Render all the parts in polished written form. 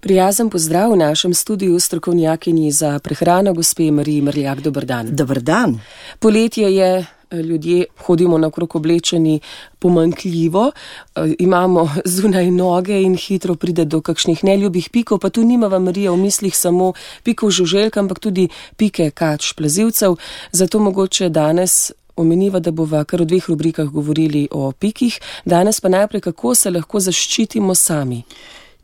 Prijazen pozdrav v našem studiu strokovnjakinji za prehrano, gospe Mariji Mrljak. Dober dan. Dober dan. Poletje je, ljudje hodimo naokrog oblečeni pomanjkljivo, imamo zunaj noge in hitro pride do kakšnih neljubih pikov, pa tu nimava Marija v mislih samo pikov žuželk, ampak tudi pike kač plazilcev. Zato mogoče danes omeniva, da bova kar v 2 rubrikah govorili o pikih. Danes pa najprej, kako se lahko zaščitimo sami.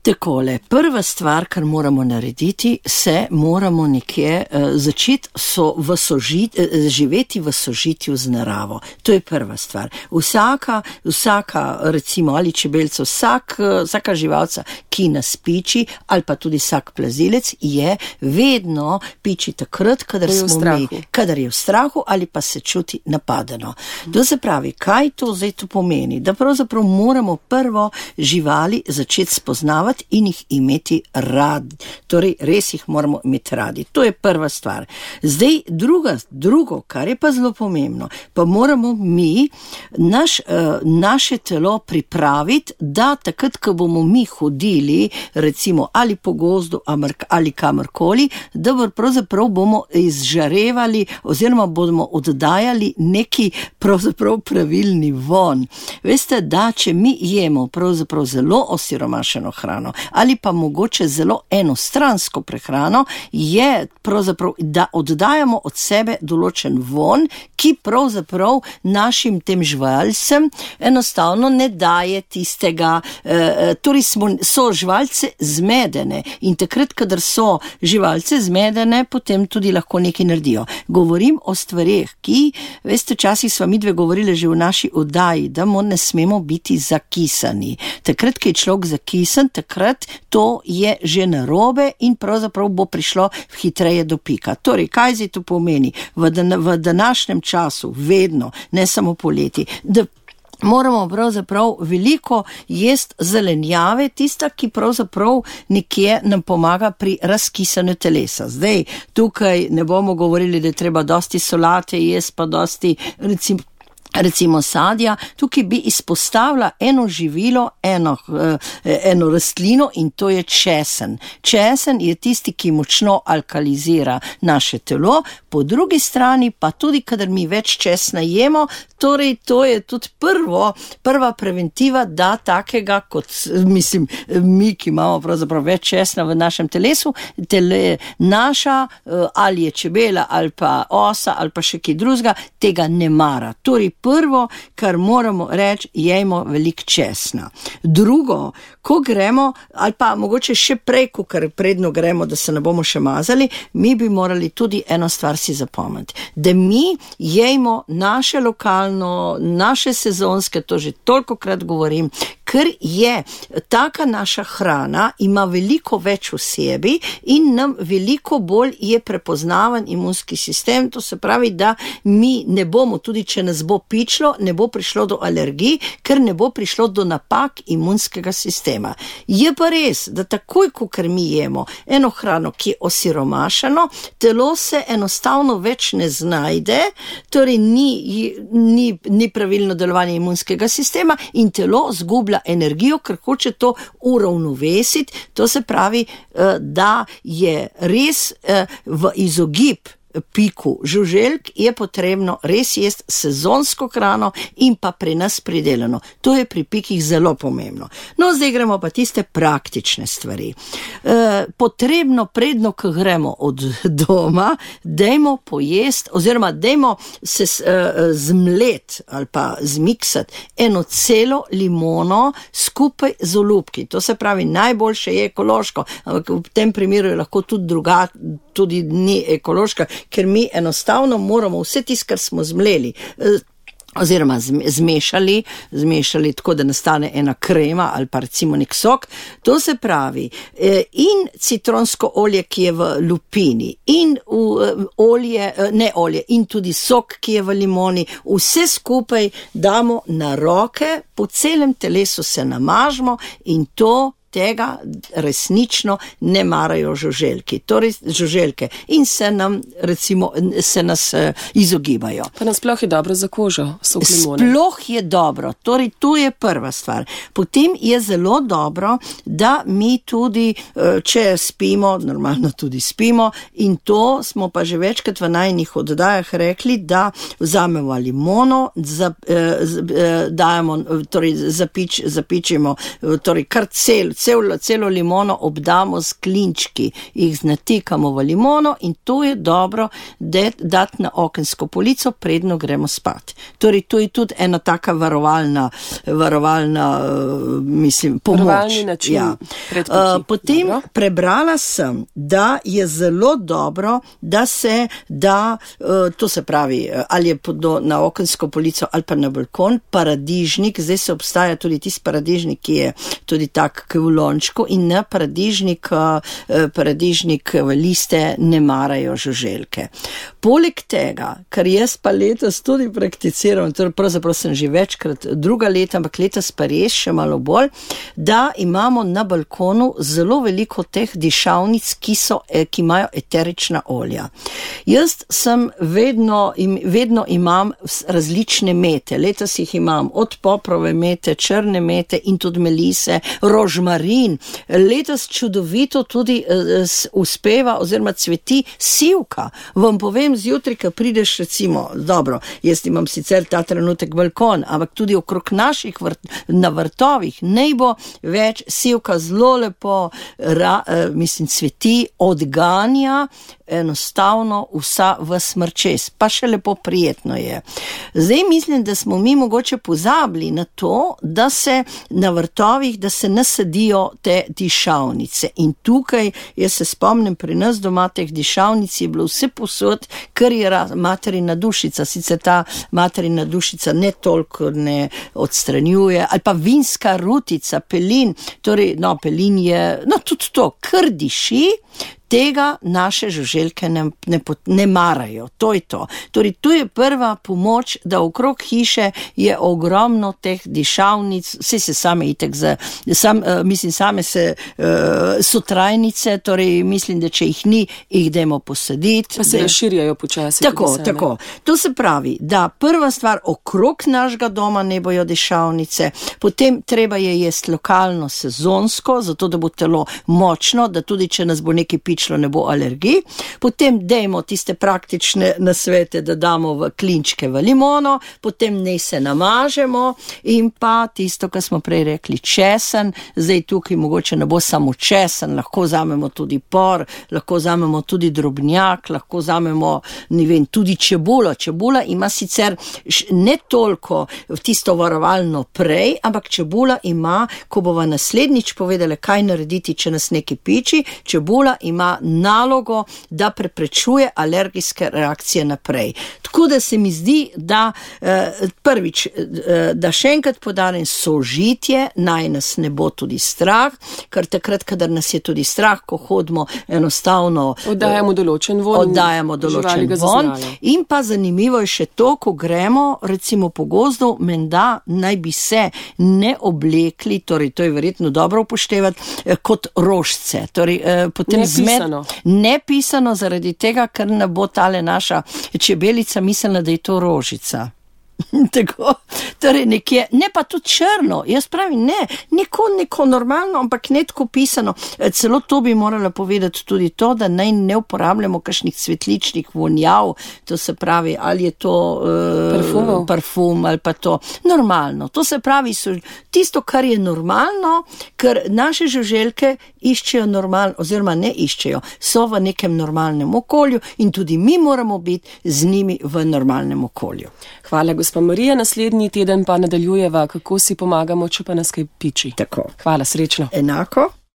Takole, prva stvar, kar moramo narediti, se moramo nekje začeti živeti v sožitju z naravo. To je prva stvar. Vsaka recimo ali čebelca, vsaka živalca, ki nas piči, ali pa tudi vsak plazilec, je vedno piči takrat, kadar je v strahu ali pa se čuti napadeno. To se pravi, kaj to zdaj to pomeni? Da pravzaprav moramo prvo živali začeti spoznavati in jih imeti radi. Torej, res jih moramo imeti radi. To je prva stvar. Zdaj, drugo, kar je pa zelo pomembno, pa moramo mi naše telo pripraviti, da takrat, ko bomo mi hodili, recimo, ali po gozdu, ali kamorkoli, da pravzaprav bomo izžarevali oziroma bomo oddajali neki pravzaprav pravilni von. Veste, da če mi jemo pravzaprav zelo osiromašeno hrano, ali pa mogoče zelo enostransko prehrano, je pravzaprav, da oddajamo od sebe določen von, ki pravzaprav našim tem živalcem enostavno ne daje tistega, torej so živalce zmedene in takrat, kadar so živalce zmedene, potem tudi lahko nekaj naredijo. Govorim o stvareh, ki, veste, včasih sva midve govorile že v naši oddaji, da ne smemo biti zakisani. Takrat, ko je človek zakisan, takrat to je že narobe in pravzaprav bo prišlo hitreje do pika. Torej, kaj zdaj to pomeni? V današnjem času, vedno, ne samo poleti, da moramo pravzaprav veliko jesti zelenjave, tista, ki pravzaprav nekje nam pomaga pri razkisanju telesa. Zdaj, tukaj ne bomo govorili, da je treba dosti solate jesti, pa dosti recimo sadja. Tukaj bi izpostavila eno živilo, eno rastlino in to je česen. Česen je tisti, ki močno alkalizira naše telo, po drugi strani pa tudi, kadar mi več česna jemo, torej to je tudi prva preventiva, da takega kot, mi, ki imamo pravzaprav več česna v našem telesu, naša ali je čebela, ali pa osa, ali pa še kaj drugega, tega ne mara. Torej, prvo, kar moramo reči, jejmo veliko česna. Drugo, ko gremo, ali pa mogoče še prej, ker predno gremo, da se ne bomo še mazali, mi bi morali tudi eno stvar si zapomniti. Da mi jejmo naše lokalno, naše sezonske, to že tolikokrat govorim, ker je taka naša hrana, ima veliko več v sebi in nam veliko bolj je prepoznavan imunski sistem. To se pravi, da mi ne bomo, tudi če nas bo pičlo, ne bo prišlo do alergij, ker ne bo prišlo do napak imunskega sistema. Je pa res, da takoj, ko mi jemo eno hrano, ki je osiromašeno, telo se enostavno več ne znajde, torej ni pravilno delovanje imunskega sistema in telo zgublja energijo, ker hoče to uravnovesiti. To se pravi, da je res v izogib piku žuželk je potrebno res jesti sezonsko hrano in pa pri nas pridelano. To je pri pikih zelo pomembno. No, zdaj gremo pa tiste praktične stvari. Potrebno predno, ko gremo od doma, dajmo pojesti, oziroma dajmo se zmlet ali pa zmiksati eno celo limono skupaj z olupki. To se pravi, najboljše je ekološko, ampak v tem primeru je lahko tudi ni ekološka, ker mi enostavno moramo vse tisto, kar smo zmleli, oziroma zmešali tako, da nastane ena krema ali pa recimo nek sok. To se pravi, in citronsko olje, ki je v lupini, in in tudi sok, ki je v limoni, vse skupaj damo na roke, po celem telesu se namažemo in to tega resnično ne marajo žuželke. Torej žuželke in se nas izogibajo. Pa nasploh je dobro za kožo, sok limone. Sploh je dobro, torej to je prva stvar. Potem je zelo dobro, da mi tudi, če spimo, normalno tudi spimo, in to smo pa že večkrat v najnih oddajah rekli, da vzamemo limono, dajemo, torej zapičimo, torej kar celo limono obdamo s klinčki, jih natikamo v limono in to je dobro dati na okensko polico, predno gremo spat. Torej, to je tudi ena taka varovalna pomoč. Varovalni način predpoči. Potem prebrala sem, da je zelo dobro, da se da, to se pravi, ali je na okensko polico ali pa na balkon, paradižnik, zdaj se obstaja tudi tisti paradižnik, ki je tudi tak v lončku in na paradižnik liste ne marajo žuželke. Poleg tega, kar jaz pa letos tudi prakticiram, torej pravzaprav sem že večkrat druga leta, ampak letos pa res še malo bolj, da imamo na balkonu zelo veliko teh dišavnic, ki imajo eterična olja. Jaz sem vedno imam različne mete, letos jih imam od poprove mete, črne mete in tudi melise, rožmarin. Letos čudovito tudi uspeva oziroma cveti sivka. Vam povem, zjutraj, ko prideš recimo, dobro, jaz imam sicer ta trenutek balkon, ampak tudi okrog naših na vrtovih naj bo več, sivka zelo lepo cveti, odganja enostavno v smrčes, pa še lepo prijetno je. Zdaj mislim, da smo mi mogoče pozabili na to, da se na vrtovih, da se nasadijo te dišavnice. In tukaj, jaz se spomnim, pri nas doma teh dišavnic je bilo vse posod, kar je materina dušica. Sicer ta materina dušica ne toliko ne odstranjuje, ali pa vinska rutica, pelin, torej, pelin je, tudi to, kar diši, tega naše žuželke ne marajo. To je to. Torej, tu je prva pomoč, da okrog hiše je ogromno teh dišavnic, vse se same itek same so trajnice, torej mislim, da če jih ni, jih dajmo posaditi. Pa se razširjajo počasi. Tako. To se pravi, da prva stvar, okrog našega doma ne bojo dišavnice, potem treba je jesti lokalno, sezonsko, zato da bo telo močno, da tudi če nas bo nekaj ne bo alergij. Potem dajmo tiste praktične nasvete, da damo v klinčke v limono, potem ne se namažemo in pa tisto, kar smo prej rekli, česen. Zdaj tukaj mogoče ne bo samo česen, lahko vzamemo tudi por, lahko vzamemo tudi drobnjak, lahko vzamemo, tudi čebulo. Čebula ima sicer ne toliko tisto varovalno prej, ampak čebula ima, ko bova naslednjič povedala, kaj narediti, če nas nekaj piči, čebula ima nalogo, da preprečuje alergijske reakcije naprej. Tako da se mi zdi, da prvič, da še enkrat podarim, sožitje, naj nas ne bo tudi strah, ker takrat, kadar nas je tudi strah, ko hodimo enostavno oddajamo določen von. In pa zanimivo je še to, ko gremo recimo po gozdu, menda naj bi se ne oblekli, torej to je verjetno dobro upoštevati, kot rožce. Torej, potem nepisano zaradi tega, ker ne bo tale naša čebelica mislila, da je to rožica. Tako, torej nekje, ne pa tudi črno, jaz pravim, neko normalno, ampak ne tako pisano. Celo to bi morala povedati tudi to, da naj ne uporabljamo kakšnih cvetličnih vonjav, to se pravi, ali je to parfum ali pa to normalno. To se pravi, tisto, kar je normalno, ker naše žuželke iščejo normalno, oziroma ne iščejo, so v nekem normalnem okolju in tudi mi moramo biti z njimi v normalnem okolju. Hvala, gospa Marija. Naslednji teden pa nadaljujeva, kako si pomagamo, če pa nas kaj piči. Tako. Hvala, srečno. Enako.